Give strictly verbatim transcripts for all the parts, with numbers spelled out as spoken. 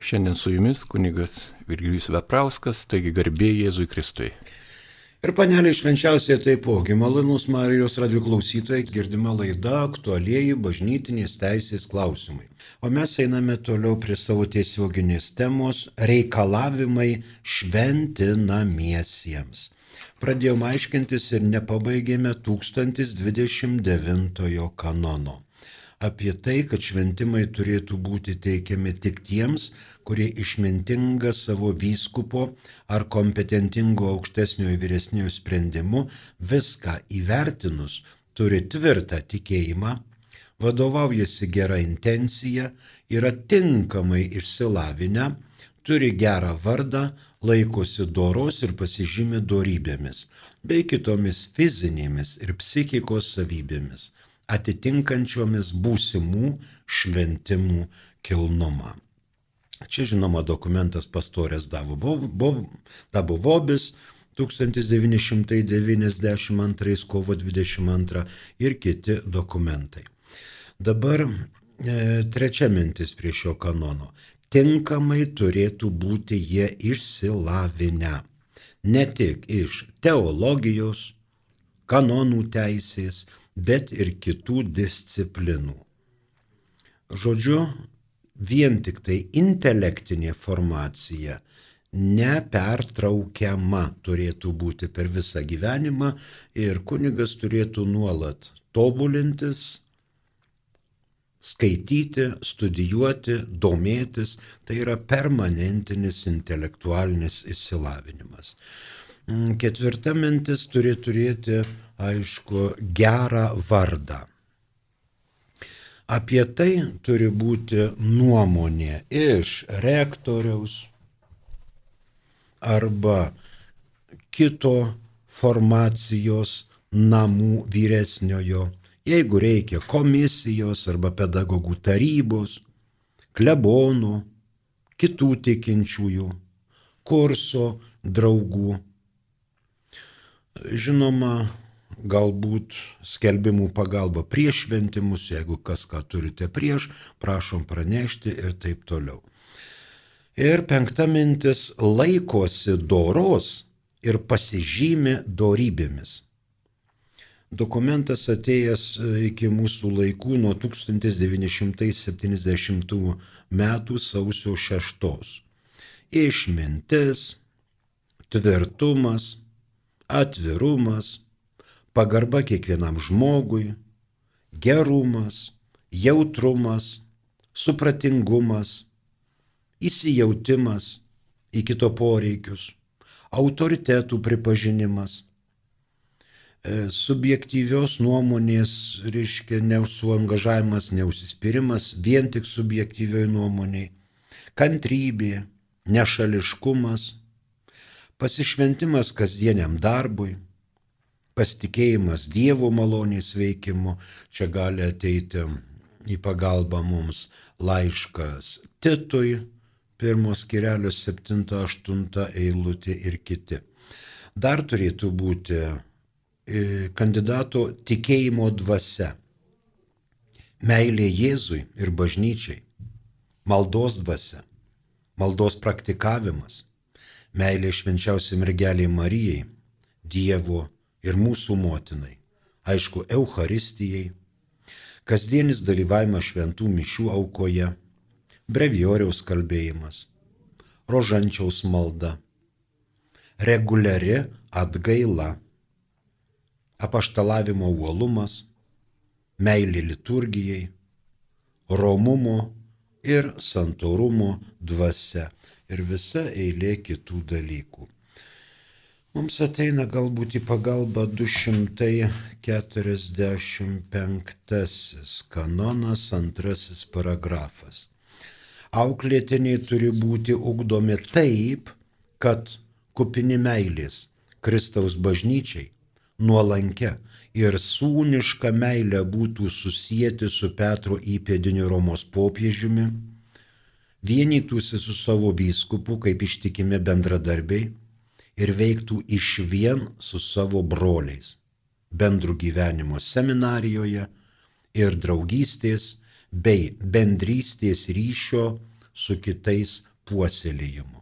Šiandien su jumis kunigas Virgilijus Veprauskas, taigi garbė Jėzui Kristui. Ir paneliai švenčiausiai taipogi, malonūs Marijos radijo klausytojai, girdima laida aktualieji bažnytinės teisės klausimai. O mes einame toliau prie savo tiesioginės temos reikalavimai šventinamiesiems. Pradėjome aiškintis ir nepabaigėme tūkstantis dvidešimt devintojo kanono. Apie tai, kad šventimai turėtų būti teikiami tik tiems, kurie išmintinga savo vyskupo ar kompetentingo aukštesniojo vyresniojo sprendimu viską įvertinus turi tvirtą tikėjimą, vadovaujasi gera intencija, yra tinkamai išsilavinę, turi gerą vardą, laikosi doros ir pasižymi dorybėmis, bei kitomis fizinėmis ir psichikos savybėmis, atitinkančiomis būsimų šventimų kilnumą. Čia žinoma dokumentas pastorės Dabovobis tūkstantis devyni šimtai devyniasdešimt antrais kovo dvidešimt antrą ir kiti dokumentai. Dabar e, trečia mintis prie šio kanono. Tinkamai turėtų būti jie išsilavinę. Ne tik iš teologijos, kanonų teisės, bet ir kitų disciplinų. Žodžiu, vien tik tai intelektinė formacija nepertraukiama turėtų būti per visą gyvenimą ir kunigas turėtų nuolat tobulintis, skaityti, studijuoti, domėtis, tai yra permanentinis intelektualinis išsilavinimas. Ketvirta mintis turi turėti, aišku, gerą vardą. Apie tai turi būti nuomonė iš rektoriaus arba kito formacijos namų vyresniojo, jeigu reikia komisijos arba pedagogų tarybos, klebono, kitų tikinčiųjų, kurso draugų. Žinoma, galbūt skelbimų pagalba prieš šventimus, jeigu kas ką turite prieš, prašom pranešti ir taip toliau. Ir penkta mintis - laikosi doros ir pasižymi dorybėmis. Dokumentas atėjęs iki mūsų laikų nuo tūkstantis devyni šimtai septyniasdešimtų metų sausio šeštos. Išmintis, tvirtumas, atvirumas, pagarba kiekvienam žmogui, gerumas, jautrumas, supratingumas, įsijautimas į kito poreikius, autoritetų pripažinimas, subjektyvios nuomonės, reiškia, neužsuangažavimas, neužsispyrimas, vien tik subjektyvioj nuomoniai, kantrybė, nešališkumas, pasišventimas kasdieniam darbui, pasitikėjimas Dievo malonės veikimu. Čia gali ateiti į pagalbą mums laiškas Titui, pirmos skyrelio septinta aštunta eilutė ir kiti. Dar turėtų būti kandidato tikėjimo dvasia, meilė Jėzui ir bažnyčiai, maldos dvasia, maldos praktikavimas, meilė švenčiausiai mergelei Marijai, Dievo ir mūsų motinai, aišku, Eucharistijai, kasdienis dalyvavimas šventų mišių aukoje, brevijoriaus kalbėjimas, rožančiaus malda, reguliari atgaila, apaštalavimo uolumas, meilė liturgijai, romumo ir santorumo dvasia ir visa eilė kitų dalykų. Mums ateina galbūt į pagalbą du šimtai keturiasdešimt penktasis kanonas, antrasis paragrafas. Auklėtiniai turi būti ugdomi taip, kad kupini meilės Kristaus bažnyčiai, nuolankia ir sūniška meilė būtų susieti su Petro įpėdiniu Romos popiežiumi, vienytųsi su savo vyskupu kaip ištikimi bendradarbiai ir veiktų išvien su savo broliais, bendrų gyvenimo seminarijoje ir draugystės bei bendrystės ryšio su kitais puoselėjimu.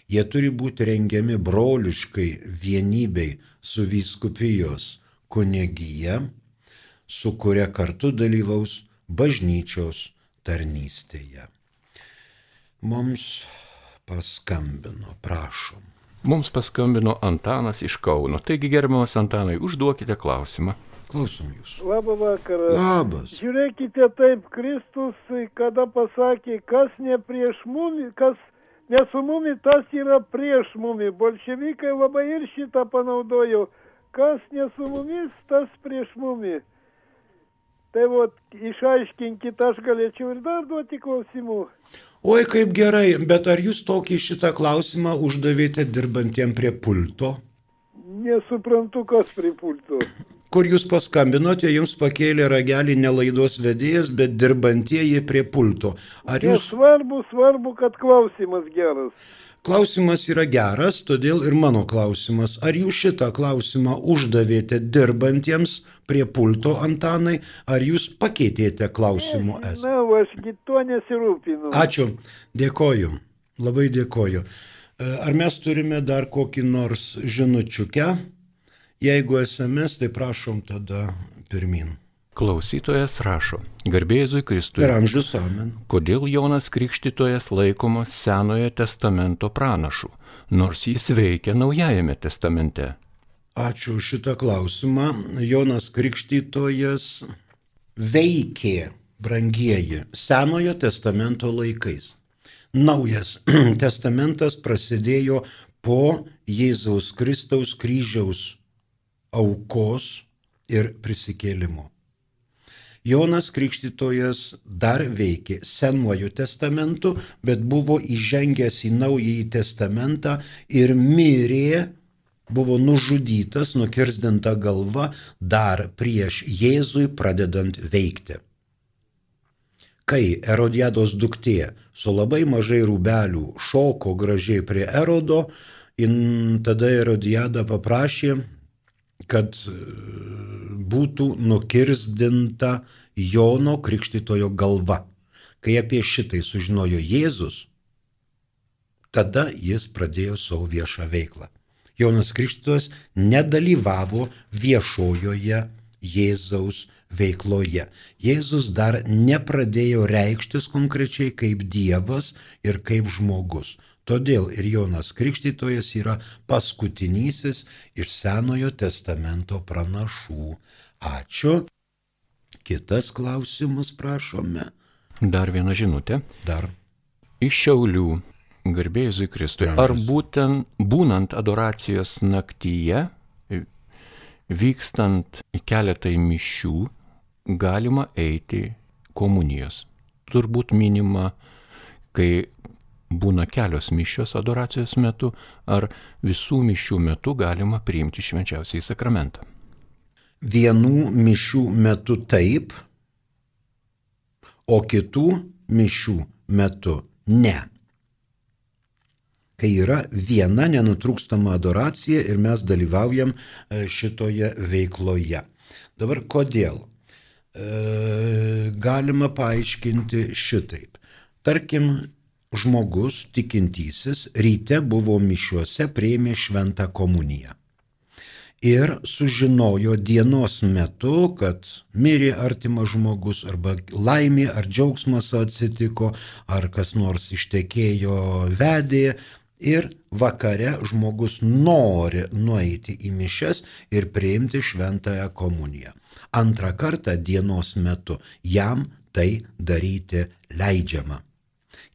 Jie turi būti rengiami broliškai vienybei su vyskupijos kunigija, su kuria kartu dalyvaus bažnyčios tarnystėje. Mums paskambino, prašom. Mums paskambino Antanas iš Kauno. Taigi, gerbiamas Antanai, užduokite klausimą. Klausom jūsų. Labą vakarą. Labas. Žiūrėkite taip, Kristus, kada pasakė, kas ne prieš mumi, kas ne su mumi, tas yra prieš mumi. Bolševikai labai ir šitą panaudojo. Kas ne su mumis, tas prieš mumi. Tai vot, išaiškinkit, aš galėčiau ir dar duoti klausimų. Oi, kaip gerai, bet ar jūs tokį šitą klausimą uždavėte dirbantiem prie pulto? Nesuprantu, kas prie pulto. Kur jūs paskambinote, jums pakėlė ragelį ne laidos vedėjas, bet dirbantieji prie pulto. Ar jūs... Svarbu, svarbu, kad klausimas geras. Klausimas yra geras, todėl ir mano klausimas. Ar jūs šitą klausimą uždavėte dirbantiems prie pulto, Antanai, ar jūs pakeitėte klausimų esmę? Na, ašgi tuo nesirūpinu. Ačiū, dėkoju, labai dėkoju. Ar mes turime dar kokį nors žinučiukę? Jeigu es em es, tai prašom tada pirmin. Klausytojas rašo, garbė Jėzui Kristui. Per amžius amen. Kodėl Jonas Krikštytojas laikomas Senojo testamento pranašu, nors jis veikia Naujajame testamente? Ačiū už šitą klausimą. Jonas Krikštytojas veikė, brangieji, Senojo testamento laikais. Naujas testamentas prasidėjo po Jėzaus Kristaus kryžiaus aukos ir prisikėlimo. Jonas Krikštytojas dar veikė Senuoju testamentu, bet buvo įžengęs į Naująjį testamentą ir mirė, buvo nužudytas, nukirsdinta galva dar prieš Jėzui pradedant veikti. Kai Erodiados duktė su labai mažai rūbelių šoko gražiai prie Erodo, tada Erodiada paprašė, kad būtų nukirsdinta Jono Krikštytojo galva. Kai apie šitai sužinojo Jėzus, tada jis pradėjo savo viešą veiklą. Jonas Krikštytojas nedalyvavo viešojoje Jėzaus veikloje. Jėzus dar nepradėjo reikštis konkrečiai kaip Dievas ir kaip žmogus. Todėl ir Jonas Krikštytojas yra paskutinysis iš Senojo testamento pranašų. Ačiū. Kitas klausimas, prašome. Dar viena žinutė. Dar. Iš Šiaulių, garbė Jėzui Kristui. Ar būtent būnant adoracijos naktyje, vykstant keletai mišių, galima eiti komunijos? Turbūt minima, kai būna kelios mišios adoracijos metu, ar visų mišių metu galima priimti švenčiausiąjį sakramentą? Vienų mišių metu taip, o kitų mišių metu ne. Kai yra viena nenutrūkstama adoracija ir mes dalyvaujam šitoje veikloje. Dabar kodėl? E, galima paaiškinti šitaip. Tarkim, žmogus, tikintysis, ryte buvo mišiuose, priėmė šventą komuniją. Ir sužinojo dienos metu, kad mirė artimas žmogus, arba laimė ar džiaugsmas atsitiko, ar kas nors ištekėjo, vedė. Ir vakare žmogus nori nueiti į mišias ir priimti šventąją komuniją. Antrą kartą dienos metu jam tai daryti leidžiama.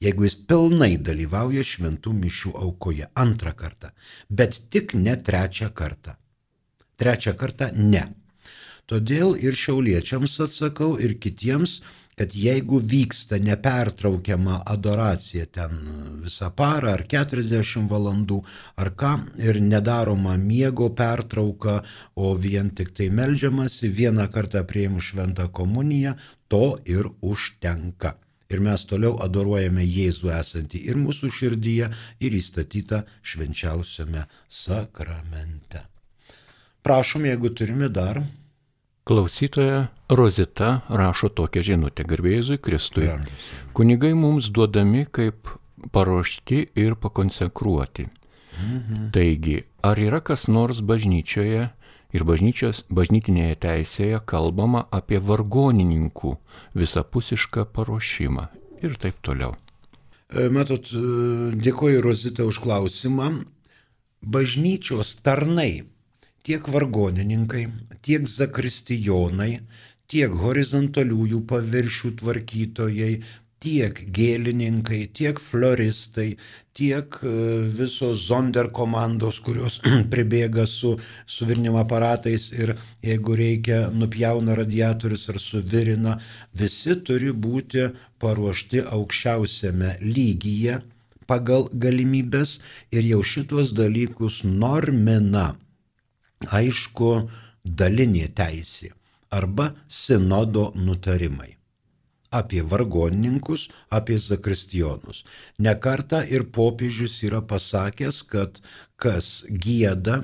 Jeigu jis pilnai dalyvauja šventų mišių aukoje antrą kartą, bet tik ne trečią kartą. Trečią kartą ne. Todėl ir šiauliečiams atsakau ir kitiems, kad jeigu vyksta nepertraukiama adoracija ten visą parą ar keturiasdešimt valandų ar ką ir nedaroma miego pertrauka, o vien tik tai meldžiamasi, vieną kartą priėmus šventą komuniją, to ir užtenka. Ir mes toliau adoruojame Jėzų esantį ir mūsų širdyje, ir įstatytą švenčiausiame sakramente. Prašom, jeigu turime dar. Klausytoja Rozita rašo tokią žinutę: Garbė Jėzui Kristui. Kunigai mums duodami kaip paruošti ir pakonsekruoti. Mhm. Taigi, ar yra kas nors bažnyčioje ir bažnyčios, bažnytinėje teisėje kalbama apie vargonininkų visapusišką paruošimą ir taip toliau? Matot, dėkoju Rozita už klausimą. Bažnyčios tarnai, tiek vargonininkai, tiek zakristijonai, tiek horizontaliųjų paviršių tvarkytojai, tiek gėlininkai, tiek floristai, tiek visos zonder komandos, kurios pribėga su suvirinimo aparatais ir jeigu reikia nupjauna radiatorius ar suvirina, visi turi būti paruošti aukščiausiame lygyje pagal galimybės ir jau šitos dalykus normina, aišku, dalinė teisė arba sinodo nutarimai apie vargonininkus, apie zakristijonus. Ne kartą ir popiežius yra pasakęs, kad kas gieda,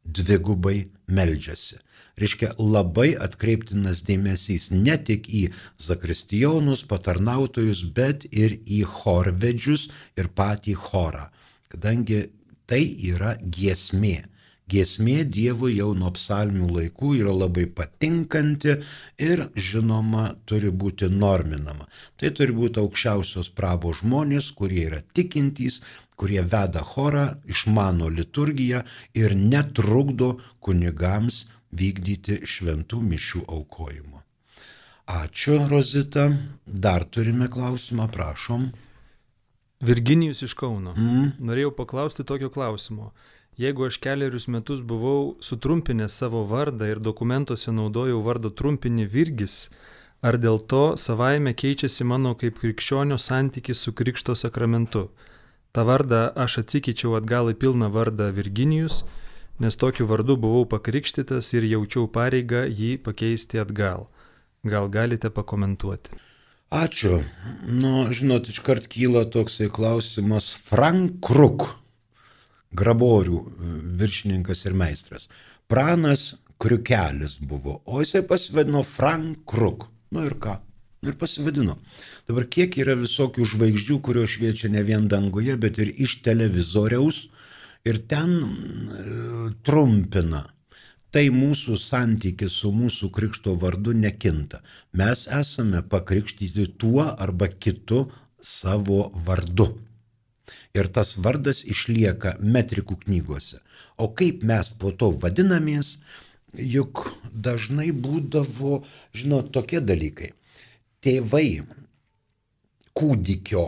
dvigubai meldžiasi. Reiškia, labai atkreiptinas dėmesys ne tik į zakristijonus, patarnautojus, bet ir į chorvedžius ir patį chorą, kadangi tai yra giesmė. Giesmė Dievui jau nuo psalmių laikų yra labai patinkanti ir, žinoma, turi būti norminama. Tai turi būti aukščiausios prabos žmonės, kurie yra tikintys, kurie veda chorą, išmano liturgiją ir netrukdo kunigams vykdyti šventų mišių aukojimo. Ačiū, Rozita. Dar turime klausimą, prašom. Virginijus iš Kauno. Mm. Norėjau paklausti tokio klausimo. Jeigu aš keliarius metus buvau sutrumpinęs savo vardą ir dokumentuose naudojau vardo trumpinį Virgis, ar dėl to savaime keičiasi mano kaip krikščionio santykis su Krikšto sakramentu? Ta vardą aš atsikeičiau atgal į pilną vardą Virginijus, nes tokiu vardu buvau pakrikštytas ir jaučiau pareigą jį pakeisti atgal. Gal galite pakomentuoti? Ačiū. Nu, žinot, iškart kyla toksai klausimas. Frank Kruk, graborių viršininkas ir meistras. Pranas Kriukelis buvo, o jisai pasivadino Frank Kruk. Nu ir ką? Nu ir pasivadino. Dabar kiek yra visokių žvaigždžių, kurios šviečia ne vien danguje, bet ir iš televizoriaus ir ten e, trumpina. Tai mūsų santykis su mūsų krikšto vardu nekinta. Mes esame pakrikštyti tuo arba kitu savo vardu. Ir tas vardas išlieka metrikų knygose. O kaip mes po to vadinamės, juk dažnai būdavo, žinot, tokie dalykai. Tėvai kūdikio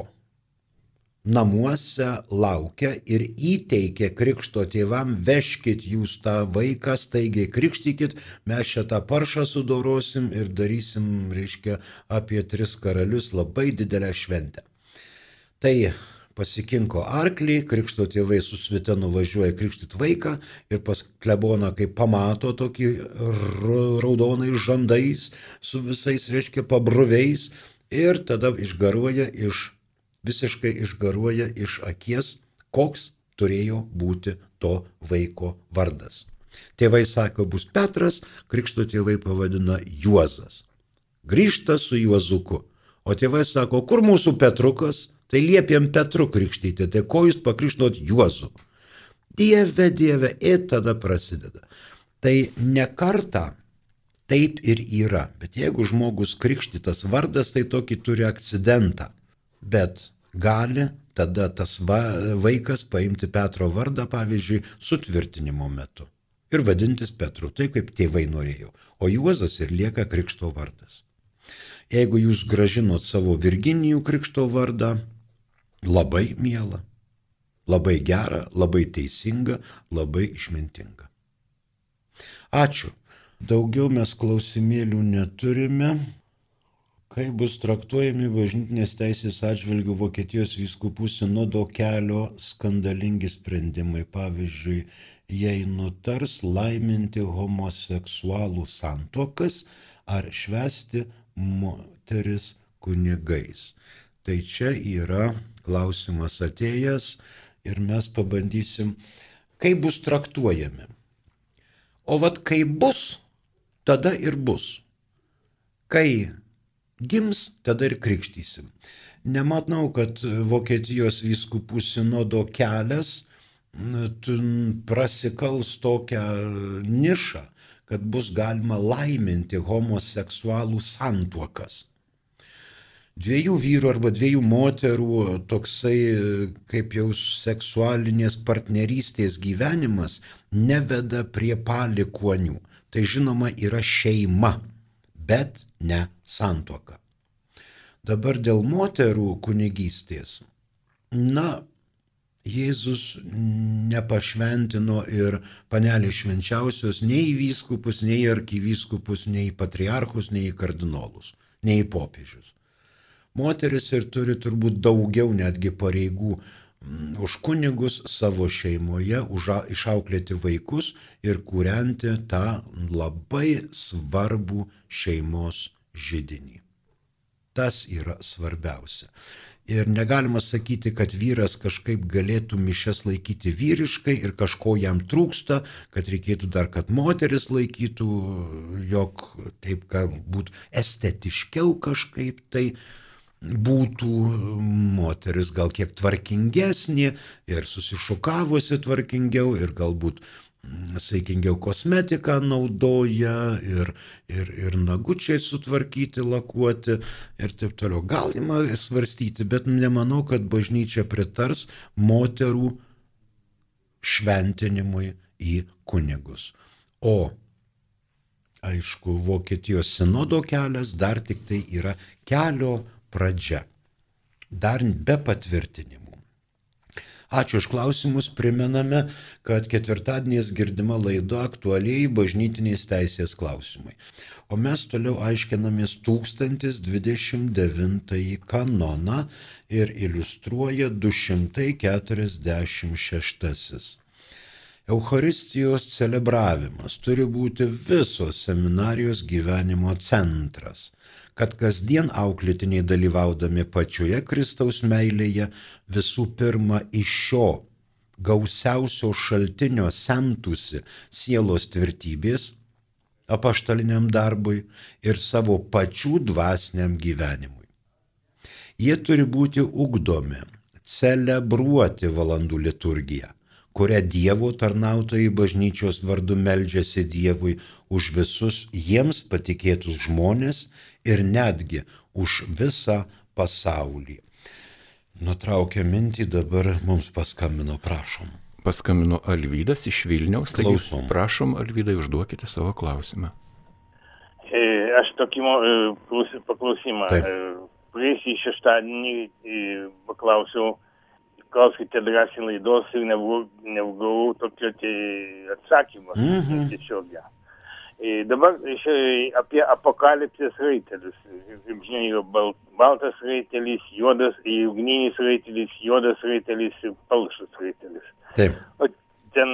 namuose laukia ir įteikia krikšto tėvam, veškit jūs tą vaiką, staigiai krikštykit, mes šitą paršą sudorosim ir darysim, reiškia, apie tris karalius labai didelę šventę. Tai pasikinko arklį, krikšto tėvai su svita nuvažiuoja krikštyt vaiką ir pas kleboną, kai pamato tokį raudonais žandais, su visais, reiškia, pabruviais ir tada išgaruoja iš, visiškai išgaruoja iš akies, koks turėjo būti to vaiko vardas. Tėvai sako, bus Petras, krikšto tėvai pavadina Juozas. Grįžta su Juozuku, o tėvai sako, kur mūsų Petrukas? Tai liepėm Petru krikštyti, tai ko jūs pakrikštinot Juozu? Dieve, dieve, ir tada prasideda. Tai ne kartą taip ir yra, bet jeigu žmogus krikštytas vardas, tai tokį turi akcidentą. Bet gali tada tas va, vaikas paimti Petro vardą, pavyzdžiui, sutvirtinimo metu. Ir vadintis Petru, taip kaip tėvai norėjo. O Juozas ir lieka krikšto vardas. Jeigu jūs gražinot savo Virginijų krikšto vardą, labai miela, labai gera, labai teisinga, labai išmintinga. Ačiū. Daugiau mes klausimėlių neturime. Kaip bus traktuojami bažnytinės teisės atžvilgių Vokietijos vyskupų sinodo kelio skandalingi sprendimai? Pavyzdžiui, jei nutars laiminti homoseksualų santuokas ar švęsti moteris kunigais. Tai čia yra klausimas atėjęs ir mes pabandysim, kaip bus traktuojami. O vat kaip bus, tada ir bus. Kai gims, tada ir krikštysim. Nematau, kad Vokietijos vyskupų sinodo kelias prasikals tokią nišą, kad bus galima laiminti homoseksualų santuokas. Dviejų vyrų arba dviejų moterų toksai kaip jau seksualinės partnerystės gyvenimas neveda prie palikuonių. Tai žinoma yra šeima, bet ne santuoka. Dabar dėl moterų kunigystės. Na, Jėzus nepašventino ir panelės švenčiausios nei į vyskupus, nei į arkivyskupus, nei į patriarchus, nei į kardinolus, nei į popiežius. Moteris ir turi turbūt daugiau netgi pareigų už kunigus savo šeimoje, už išauklėti vaikus ir kūrenti tą labai svarbų šeimos židinį. Tas yra svarbiausia. Ir negalima sakyti, kad vyras kažkaip galėtų mišias laikyti vyriškai ir kažko jam trūksta, kad reikėtų dar, kad moteris laikytų, jog taip galbūt estetiškiau kažkaip tai būtų, moteris gal kiek tvarkingesnė ir susišukavusi tvarkingiau ir galbūt saikingiau kosmetiką naudoja ir, ir, ir nagučiai sutvarkyti, lakuoti ir taip toliau. Galima svarstyti, bet nemanau, kad bažnyčia pritars moterų šventinimui į kunigus. O, aišku, Vokietijos sinodo kelias dar tik tai yra kelio pradžia, dar be patvirtinimų. Ačiū už klausimus, primename, kad ketvirtadieniais girdima laida aktualiai bažnytinės teisės klausimai. O mes toliau aiškinamės tūkstantis dvidešimt devintąjį kanoną ir iliustruoja du šimtai keturiasdešimt šeštasis. Eucharistijos celebravimas turi būti visos seminarijos gyvenimo centras, kad kasdien auklėtiniai dalyvaudami pačioje Kristaus meilėje visų pirma iš šio gausiausio šaltinio semtųsi sielos tvirtybės apaštaliniam darbui ir savo pačių dvasiniam gyvenimui. Jie turi būti ugdomi, celebruoti valandų liturgiją, kurią Dievo tarnautojai bažnyčios vardu meldžiasi Dievui už visus jiems patikėtus žmonės ir netgi už visą pasaulį. Nutraukia mintį, dabar mums paskambino, prašom. Paskambino Alvydas iš Vilniaus, taigi Klausom. Prašom, Alvydai, užduokite savo klausimą. E, aš tokį e, paklausimą. E, Praėjusį šeštadienį e, paklausiau, klauskite drąsiai laidos ir negavau tokio atsakymą. Mhm. Tiesiog. E, dabar e, apie apokalipsės raitelius. Kaip žinia, yra bal, baltas raitelis, juodas, ugninis raitelis, juodas raitelis ir palšas raitelis. Taip. O ten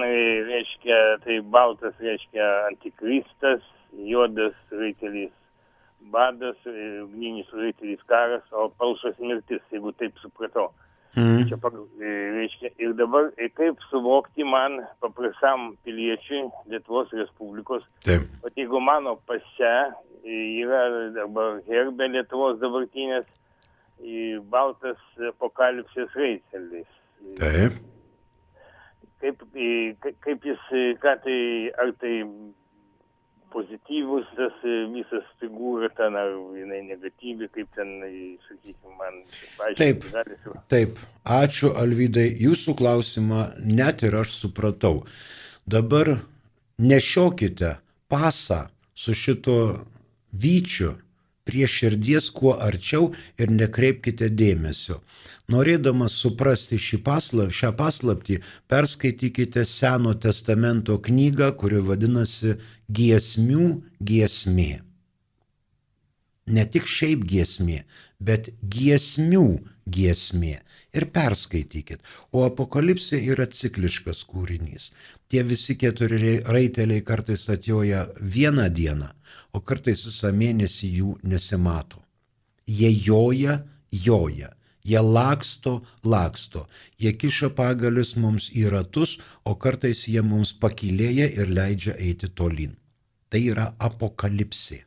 reiškia, tai baltas reiškia antikristas, juodas raitelis badas, ugninis raitelis karas, o palšas mirtis, jeigu taip supratau. Mm. Čia, reiškia, ir dabar kaip suvokti man, paprastam piliečiui Lietuvos Respublikos, Taip. o jeigu mano pase yra dabar herbe Lietuvos dabartinės baltas apokalipsės raitelis. Taip. Kaip, kaip jis, ką tai, ar tai pozityvus tas visas figūra ten, ar jinai negatyvi, kaip ten, sakykime, man paaiškinti. Taip, taip. Ačiū, Alvydai. Jūsų klausimą net ir aš supratau. Dabar nešiokite pasą su šito vyčiu prie širdies kuo arčiau ir nekreipkite dėmesio. Norėdamas suprasti šį paslaptį, šią paslaptį, perskaitykite Seno testamento knygą, kuri vadinasi Giesmių giesmė. Ne tik šiaip giesmė, bet giesmių giesmė. Ir perskaitykit. O apokalipsė yra cikliškas kūrinys. Tie visi keturi raiteliai kartais atjoja vieną dieną, o kartais visą mėnesį jų nesimato. Jie joja, joja. Jie laksto, laksto. Jie kiša pagalius mums į ratus, o kartais jie mums pakylėja ir leidžia eiti tolyn. Tai yra apokalipsė.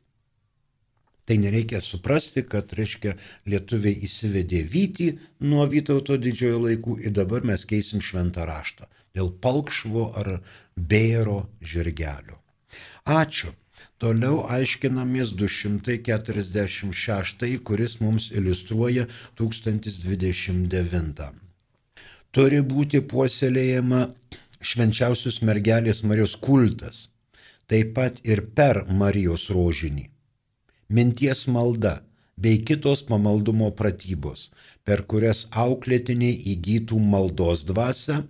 Tai nereikia suprasti, kad, reiškia, lietuviai įsivedė vytį nuo Vytauto didžiojo laikų ir dabar mes keisim šventą raštą dėl palkšvo ar bėro žirgelio. Ačiū. Toliau aiškinamės du šimtai keturiasdešimt šeštąjį, kuris mums iliustruoja tūkstantis dvidešimt devyni. Turi būti puoselėjama švenčiausios mergelės Marijos kultas, taip pat ir per Marijos rožinį. Minties malda bei kitos pamaldumo pratybos, per kurias auklėtiniai įgytų maldos dvasią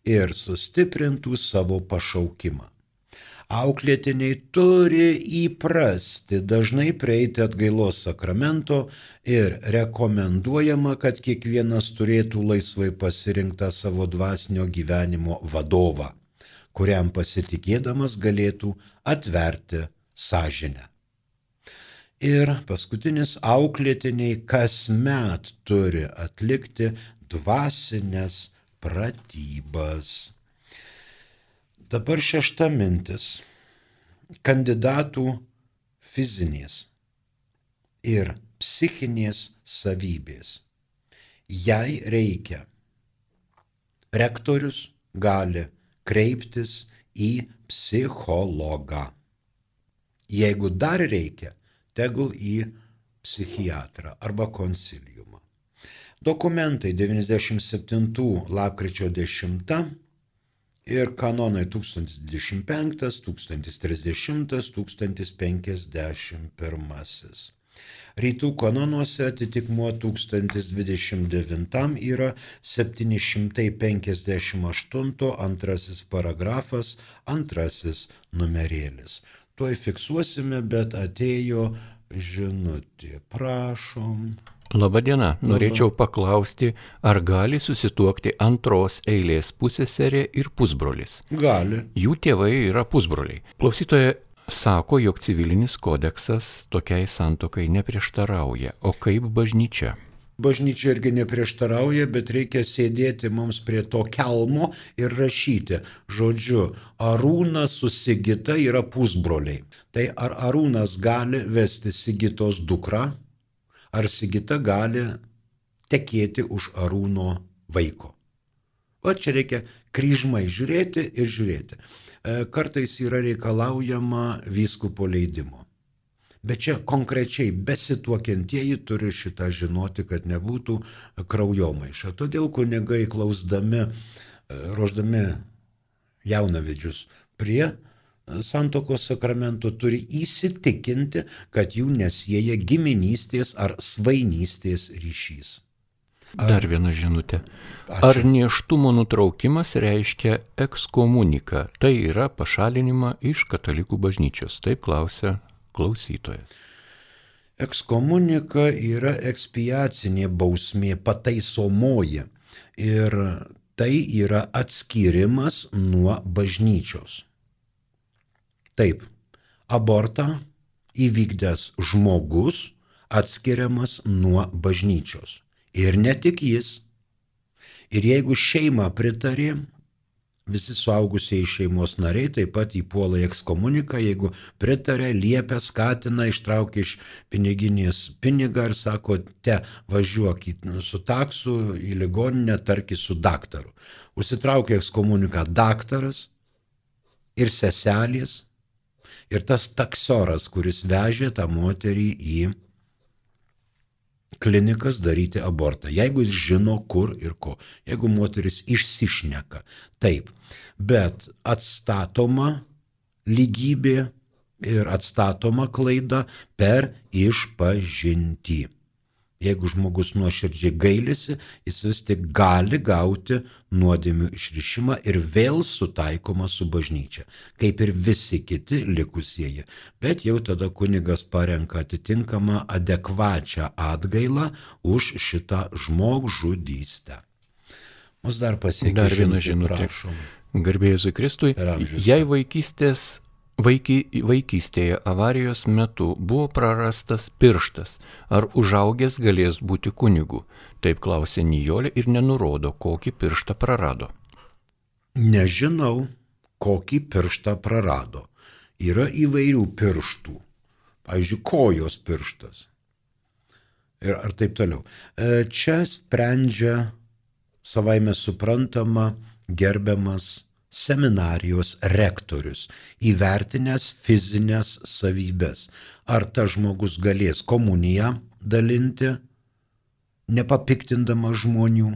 ir sustiprintų savo pašaukimą. Auklėtiniai turi įprasti dažnai prieiti atgailos sakramento ir rekomenduojama, kad kiekvienas turėtų laisvai pasirinktą savo dvasinio gyvenimo vadovą, kuriam pasitikėdamas galėtų atverti sąžinę. Ir paskutinis, auklėtiniai kasmet turi atlikti dvasinės pratybas. Dabar šešta mintis. Kandidatų fizinės ir psichinės savybės. Jei reikia, rektorius gali kreiptis į psichologą. Jeigu dar reikia, tegul į psichiatrą arba konsiliumą. Dokumentai devyniasdešimt septintų lapkričio dešimtą ir kanonai tūkstantis dvidešimt penktas, tūkstantis trisdešimtas, tūkstantis penkiasdešimt pirmasis. Rytų kanonuose atitikmuo tūkstantis dvidešimt devintam yra septyni šimtai penkiasdešimt aštunto antrasis paragrafas, antrasis numerėlis. Tuoj fiksuosime, bet atėjo žinutė. Prašom. Labadiena, norėčiau paklausti, ar gali susituokti antros eilės pusseserė ir pusbrolis? Gali. Jų tėvai yra pusbroliai. Klausytoja sako, jog civilinis kodeksas tokiai santuokai neprieštarauja. O kaip bažnyčia? Bažnyčia irgi neprieštarauja, bet reikia sėdėti mums prie to kelmo ir rašyti. Žodžiu, Arūnas su Sigita yra pusbroliai. Tai ar Arūnas gali vesti Sigitos dukrą, ar Sigita gali tekėti už Arūno vaiko. O čia reikia kryžmai žiūrėti ir žiūrėti. Kartais yra reikalaujama vyskupo leidimo. Bet čia konkrečiai besituokiantieji turi šitą žinoti, kad nebūtų kraujomaiša. Todėl kunigai klausdami, ruošdami jaunavedžius prie santuokos sakramento turi įsitikinti, kad jų nesieja giminystės ar svainystės ryšys. Ar... Dar viena žinutė. Ar nėštumo nutraukimas reiškia ekskomuniką? Tai yra pašalinimą iš katalikų bažnyčios. Taip klausia klausytojas. Ekskomunika yra ekspiacinė bausmė, pataisomoji. Ir tai yra atskyrimas nuo bažnyčios. Taip, abortą įvykdęs žmogus atskiriamas nuo bažnyčios. Ir ne tik jis. Ir jeigu šeima pritarė, visi suaugusieji šeimos nariai taip pat įpuola į ekskomuniką, jeigu pritarė, liepia, skatina, ištraukia iš piniginės pinigą ir sako, te važiuok su taksu į ligoninę, tarki su daktaru. Užsitraukia ekskomuniką daktaras ir seselės ir tas taksioras, kuris vežė tą moterį į klinikas daryti abortą, jeigu jis žino kur ir ko, jeigu moteris išsišneka, taip, bet atstatoma lygybė ir atstatoma klaida per išpažintį. Jeigu žmogus nuoširdžiai gailisi, jis vis tik gali gauti nuodėmių išrišimą ir vėl sutaikoma su bažnyčia, kaip ir visi kiti likusieji. Bet jau tada kunigas parenka atitinkamą adekvačią atgailą už šitą žmogžudystę. Mus dar pasiekė dar viena žinutė. Garbė Jėzui Kristui, jei vaikystės Vaiky, vaikystėje avarijos metu buvo prarastas pirštas, ar užaugęs galės būti kunigu? Taip klausė Nijolė ir nenurodo, kokį pirštą prarado. Nežinau, kokį pirštą prarado. Yra įvairių pirštų. Pavyzdžiui, kojos pirštas. Ir ar taip toliau. Čia sprendžia savaime suprantama gerbiamas seminarijos rektorius, įvertinęs fizinės savybės. Ar tas žmogus galės komuniją dalinti, nepapiktindamas žmonių,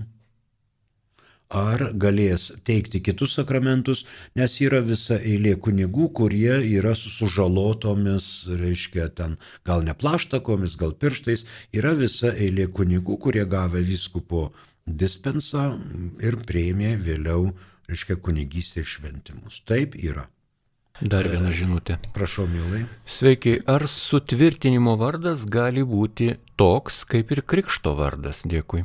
ar galės teikti kitus sakramentus, nes yra visa eilė kunigų, kurie yra su sužalotomis, reiškia, ten gal ne plaštakomis, gal pirštais, yra visa eilė kunigų, kurie gavę vyskupo dispensą ir priėmė vėliau, reiškia, kunigystės šventimus. Taip yra. Dar viena žinutė. Prašau, mielai. Sveiki, ar sutvirtinimo vardas gali būti toks kaip ir krikšto vardas? Dėkui.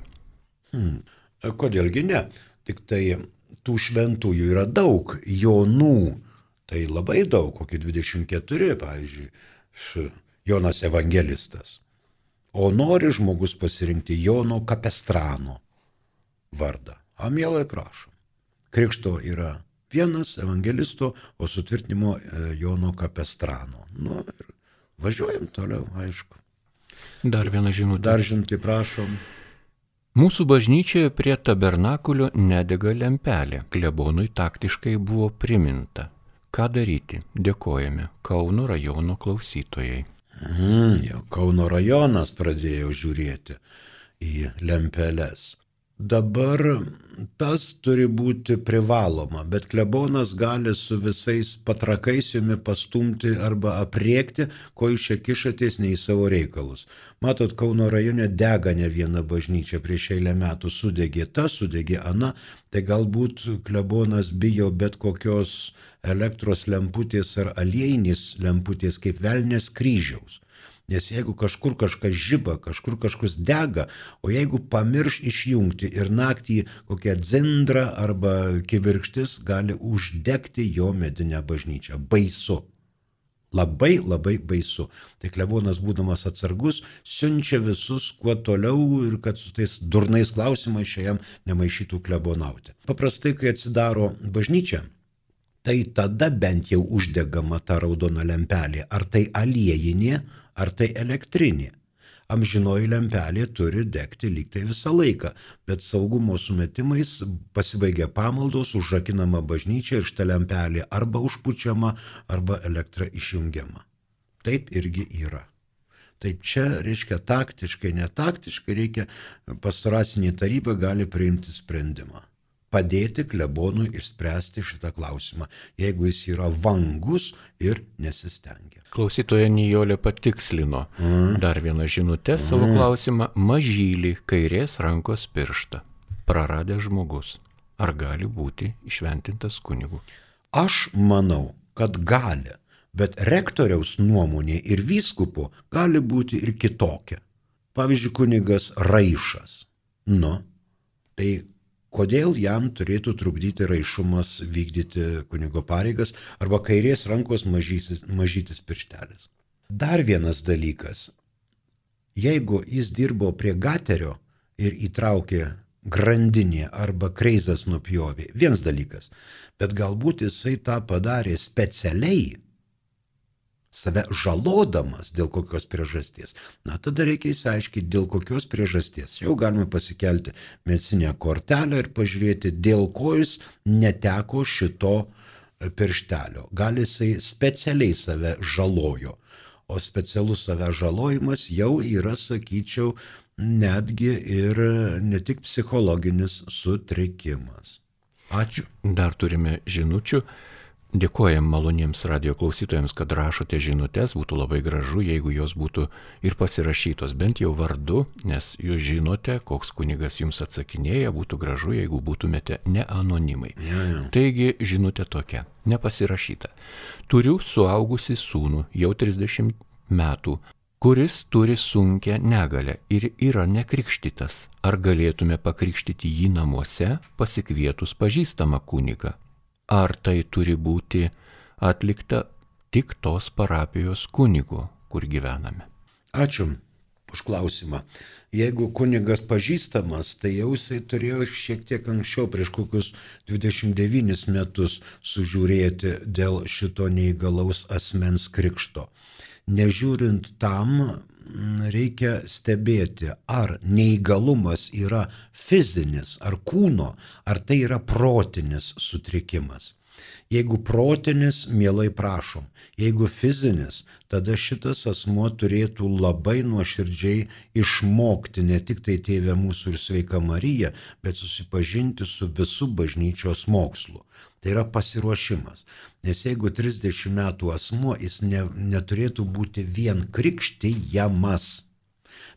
Hmm. Kodėlgi ne? Tik tai tų šventųjų yra daug, Jonų, tai labai daug, kokie dvidešimt keturi, pavyzdžiui, Jonas Evangelistas. O nori žmogus pasirinkti Jono Kapestrano vardą. A, mielai, prašom. Krikšto yra vienas evangelisto, o sutvirtinimo Jono Kapestrano. Nu ir važiuojam toliau, aišku. Dar viena žinutė. Dar žinutė, prašom. Mūsų bažnyčioje prie tabernakulio nedega lempelė. Klebonui taktiškai buvo priminta. Ką daryti? Dėkojame. Kauno rajono klausytojai. Mm, jau Kauno rajonas pradėjo žiūrėti į lempeles. Dabar tas turi būti privaloma, bet klebonas gali su visais patrakais jumi pastumti arba apriekti, ko jūs čia kišatės ne į savo reikalus. Matot, Kauno rajone dega ne viena bažnyčia, prieš eilę metų sudegė ta, sudegė ana, tai galbūt klebonas bijo bet kokios elektros lemputės ar aliejinės lemputės kaip velnės kryžiaus. Nes jeigu kažkur kažkas žiba, kažkur kažkas dega, o jeigu pamirš išjungti ir naktį kokią dzindrą arba kibirkštis gali uždegti jo medinę bažnyčią. Baisu. Labai labai baisu. Tai klebonas, būdamas atsargus, siunčia visus kuo toliau ir kad su tais durnais klausimais šiam nemaišytų klebonauti. Paprastai, kai atsidaro bažnyčia, tai tada bent jau uždegama ta raudona lempelė. Ar tai aliejinė, ar tai elektrinė. Amžinoji lempelė turi degti lyg tai visą laiką, bet saugumo sumetimais pasibaigia pamaldos, užrakinama bažnyčia ir šita lempelė arba užpučiama, arba elektra išjungiama. Taip irgi yra. Taip čia, reiškia, taktiškai, netaktiškai reikia, pastoracinė taryba gali priimti sprendimą. Padėti klebonui išspręsti šitą klausimą, jeigu jis yra vangus ir nesistengia. Klausytoja Nijolė patikslino mm. dar vieną žinutę mm. savo klausimą. Mažylį kairės rankos pirštą praradęs žmogus. Ar gali būti išventintas kunigu? Aš manau, kad gali, bet rektoriaus nuomonė ir vyskupo gali būti ir kitokia. Pavyzdžiui, kunigas Raišas. Nu, tai kodėl jam turėtų trukdyti raišumas vykdyti kunigo pareigas arba kairės rankos mažytis, mažytis pirštelis. Dar vienas dalykas. Jeigu jis dirbo prie gaterio ir įtraukė grandinė arba kreizas nupjovė, vienas dalykas, bet galbūt jisai tą padarė specialiai, save žalodamas dėl kokios priežasties. Na, tada reikia įsiaiškinti, dėl kokios priežasties. Jau galime pasikelti medicinę kortelę ir pažiūrėti, dėl ko jis neteko šito pirštelio. Gal jisai specialiai save žalojo, o specialus save žalojimas jau yra, sakyčiau, netgi ir ne tik psichologinis sutrikimas. Ačiū. Dar turime žinučių. Dėkojam maloniems radio klausytojams, kad rašote žinutes, būtų labai gražu, jeigu jos būtų ir pasirašytos, bent jau vardu, nes jūs žinote, koks kunigas jums atsakinėja, būtų gražu, jeigu būtumėte ne anonimai. Ja, ja. Taigi žinutė tokia, nepasirašyta. Turiu suaugusį sūnų, jau trisdešimt metų, kuris turi sunkią negalę ir yra nekrikštytas. Ar galėtume pakrikštyti jį namuose, pasikvietus pažįstamą kunigą? Ar tai turi būti atlikta tik tos parapijos kunigo, kur gyvename? Ačiū už klausimą. Jeigu kunigas pažįstamas, tai jau jisai turėjo šiek tiek anksčiau, prieš kokius dvidešimt devynis metus sužiūrėti dėl šito neįgalaus asmens krikšto. Nežiūrint tam, reikia stebėti, ar neįgalumas yra fizinis, ar kūno, ar tai yra protinis sutrikimas. Jeigu protinis, mielai prašom. Jeigu fizinis, tada šitas asmuo turėtų labai nuoširdžiai išmokti ne tik tai Tėve mūsų ir Sveika Marija, bet susipažinti su visu bažnyčios mokslu. Tai yra pasiruošimas. Nes jeigu trisdešimt metų asmuo, jis ne, neturėtų būti vien krikštijamas,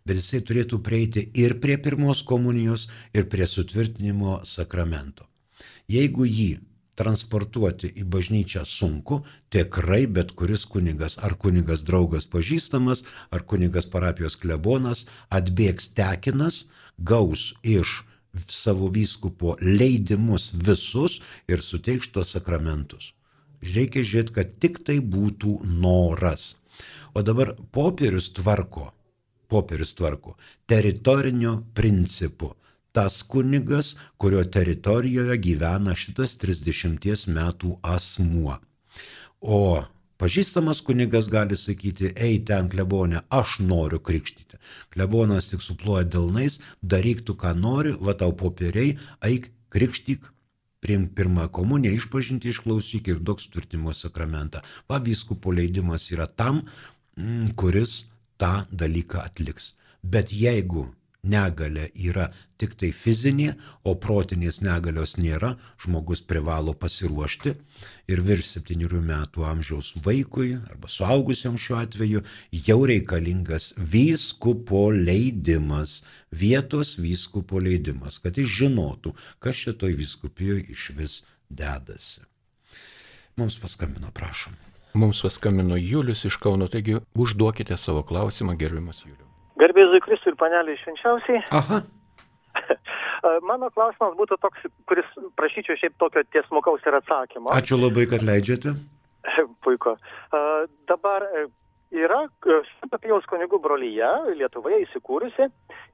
bet jisai turėtų prieiti ir prie pirmos komunijos, ir prie sutvirtinimo sakramento. Jeigu jį transportuoti į bažnyčią sunku, tikrai bet kuris kunigas, ar kunigas draugas pažįstamas, ar kunigas parapijos klebonas, atbėgs tekinas, gaus iš savo vyskupo leidimus visus ir suteiks tuos sakramentus. Reikia žiūrėti, kad tik tai būtų noras. O dabar popierius tvarko, popierius tvarko teritorinio principu. Tas kunigas, kurio teritorijoje gyvena šitas trisdešimties metų asmuo. O pažįstamas kunigas gali sakyti, ei ten klebone, aš noriu krikštyti. Klebonas tik suploja delnais, daryk tu ką nori, va tau popieriai, eik krikštyk, priimk pirmą komuniją, išpažinti išklausyk ir duok sutvirtinimo sakramentą. Va vyskupo leidimas yra tam, kuris tą dalyką atliks. Bet jeigu negalia yra tik tai fizinė, o protinės negalios nėra, žmogus privalo pasiruošti ir virš septynerių metų amžiaus vaikui, arba suaugusiam šiuo atveju, jau reikalingas vyskupo leidimas, vietos vyskupo leidimas, kad jis žinotų, kas šitoj vyskupijoje iš vis dedasi. Mums paskambino, prašom. Mums paskambino Julius iš Kauno, taigi užduokite savo klausimą, gerbiamas Julius. Garbėzui Kristui ir paneliai švenčiausiai. Aha. Mano klausimas būtų toks, kuris prašyčiau šiaip tokio tiesmukaus ir atsakymo. Ačiū labai, kad leidžiate. Puiku. Dabar yra Švento Pijaus kunigų brolyje Lietuvoje įsikūrusi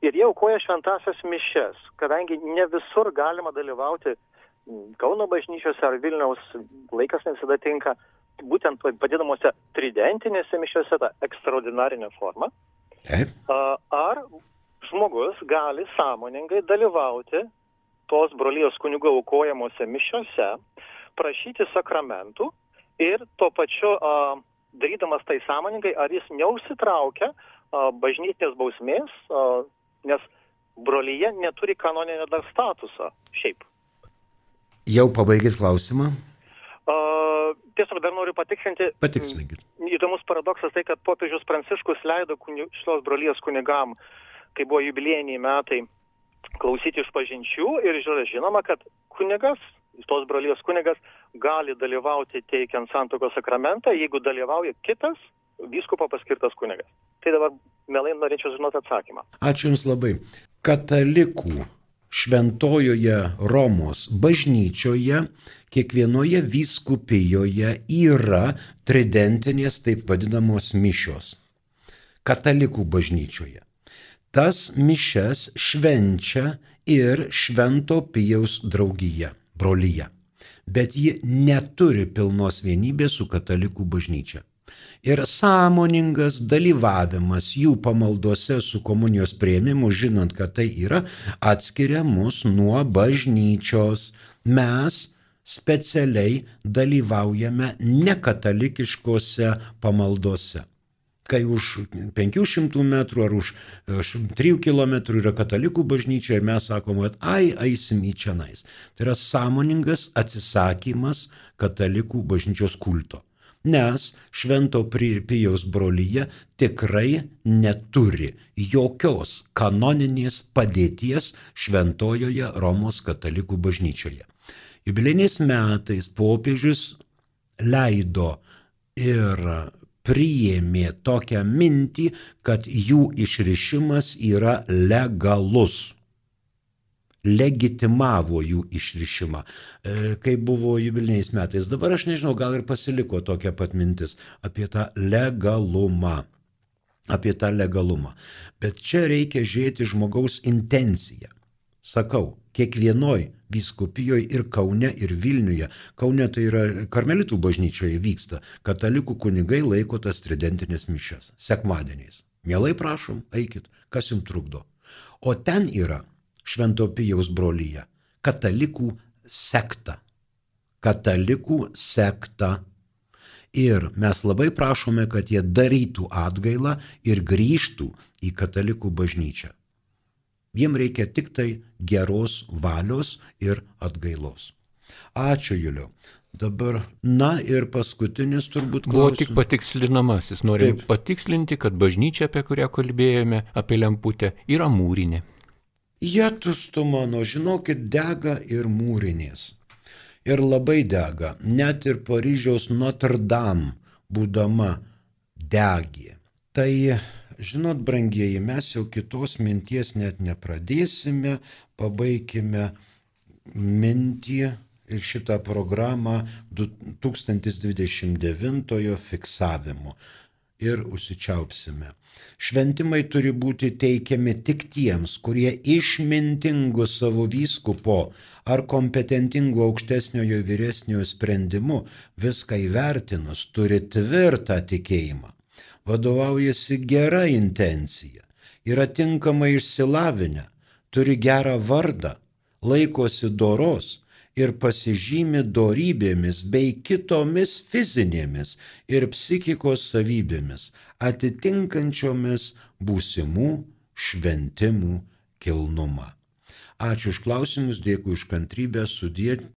ir jie aukoja šventąsias mišias, kadangi ne visur galima dalyvauti Kauno bažnyčiose ar Vilniaus, laikas ne visada tinka, būtent vadinamuose tridentinėse mišiose, ta ekstraordinarinė forma. Taip. Ar žmogus gali sąmoningai dalyvauti tos brolijos kunigų aukojamuose mišiose, prašyti sakramentų ir tuo pačiu a, darydamas tai sąmoningai, ar jis neužsitraukia a, bažnytinės bausmės, a, nes brolyje neturi kanoninio dar statuso šiaip. Jau pabaigėt klausimą? Uh, tiesiog dar noriu patikslinti. Patikslinkit. Įdomus paradoksas tai, kad popiežius Pranciškus leido kuni, šios brolijos kunigam, kai buvo jubiliejiniai metai, klausyti išpažinčių ir žinoma, kad kunigas, tos brolijos kunigas, gali dalyvauti teikiant santuokos sakramentą, jeigu dalyvauja kitas vyskupo paskirtas kunigas. Tai dabar mielai norėčiau žinoti atsakymą. Ačiū Jums labai. Katalikų Šventojoje Romos bažnyčioje kiekvienoje vyskupijoje yra tridentinės taip vadinamos mišios. Katalikų bažnyčioje. Tas mišias švenčia ir Švento Pijaus draugija, brolyje. Bet ji neturi pilnos vienybės su katalikų bažnyčia. Ir sąmoningas dalyvavimas jų pamaldose su komunijos priėmimu, žinant, kad tai yra, atskiria mus nuo bažnyčios. Mes specialiai dalyvaujame nekatalikiškose pamaldose. Kai už penkių šimtų metrų ar už trijų kilometrų yra katalikų bažnyčia ir mes sakome, kad ai, eisim į čionais. Tai yra sąmoningas atsisakymas katalikų bažnyčios kulto. Nes Švento Pijaus brolyje tikrai neturi jokios kanoninės padėties Šventojoje Romos katalikų bažnyčioje. Jubiliejiniais metais popiežius leido ir priėmė tokią mintį, kad jų išrišimas yra legalus. Legitimavo jų išrišimą, kai buvo jubiliejiniais metais. Dabar aš nežinau, gal ir pasiliko tokia pat mintis apie tą legalumą. apie tą legalumą. Bet čia reikia žiūrėti žmogaus intenciją. Sakau, kiekvienoj vyskupijoje ir Kaune, ir Vilniuje, Kaune tai yra karmelitų bažnyčioje vyksta, katalikų kunigai laiko tas tridentinės mišias, sekmadieniais. Mielai prašom, eikit, kas jums trukdo. O ten yra Švento Pijaus brolyje, katalikų sekta. Katalikų sekta. Ir mes labai prašome, kad jie darytų atgailą ir grįžtų į katalikų bažnyčią. Jiem reikia tik tai geros valios ir atgailos. Ačiū, Juliau. Dabar, na ir paskutinis turbūt klausimas. Buvo tik patikslinamasis. Norim Taip. patikslinti, kad bažnyčia, apie kurią kalbėjome, apie lemputę, yra mūrinė. Jetus tu mano, žinokit, dega ir mūrinės. Ir labai dega. Net ir Paryžiaus Notre Dame būdama degė. Tai, žinot, brangieji, mes jau kitos minties net nepradėsime, pabaikime mintį ir šitą programą du tūkstantis dvidešimt devintojo fiksavimu ir užsičiaupsime. Šventimai turi būti teikiami tik tiems, kurie išmintingu savo vyskupo ar kompetentingu aukštesniojo vyresniojo sprendimu viską įvertinus turi tvirtą tikėjimą, vadovaujasi gera intencija, yra tinkamai išsilavinę, turi gerą vardą, laikosi doros ir pasižymi dorybėmis bei kitomis fizinėmis ir psichikos savybėmis, atitinkančiomis būsimų šventimų kilnumą. Ačiū už klausimus, dėkui už kantrybę, sudie.